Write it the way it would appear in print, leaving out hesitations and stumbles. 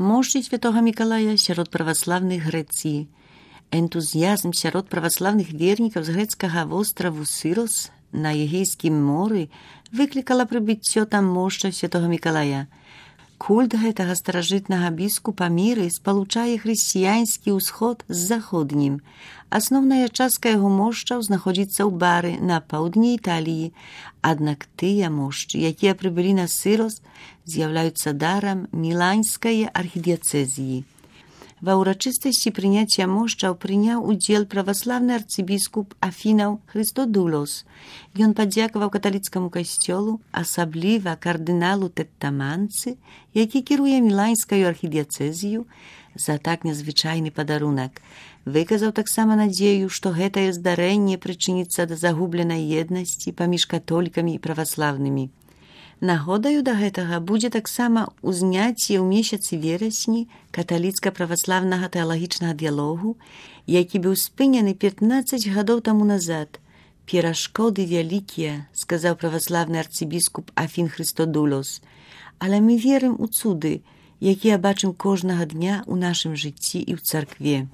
Мощі Святого Миколая сярод праваславных Грэцыі. Энтузіязм сярод праваславных вернікаў з грэцкага востраву Сырос на Егейскім моры выклікала прыбыццё там мошча Святого Миколая. Культ гэтага старажытнага біскупа міры спалучае хрысціянскі ўсход з заходнім. Асноўная частка яго мошчаў знаходзіцца ў бары на паўдні Італіі, аднак тыя мошчы, якія прыбылі на Сырос, з'яўляюцца дарам Міланскай архідыяцэзіі. Ва ўрачыстасці прыняцця мошчаў прыняў удзел праваслаўны арцыбіскуп Афінаў Хрыстодулос. Ён падзякаваў каталіцкаму касцёлу, асабліва кардыналу Тэттаманцы, які кіруе Міланскаю архідыяцэзію, за так незвычайны падарунак. Выказаў таксама надзею, што гэтае здарэнне прычыніцца да загубленай еднасці паміж католікамі і праваслаўнымі. Нагодаю да гэтага будзе таксама ўзняцце ў месяцы верасні каталіцка-праваслаўнага тэалагічнага дыялогу, які быў спынены 15 гадоў таму назад. «Перашкоды вялікія», сказаў праваслаўны арцыбіскуп Афін Хрыстодулос, «але мы верым у цуды, якія бачым кожнага дня ў нашым жыцці і ў царкве».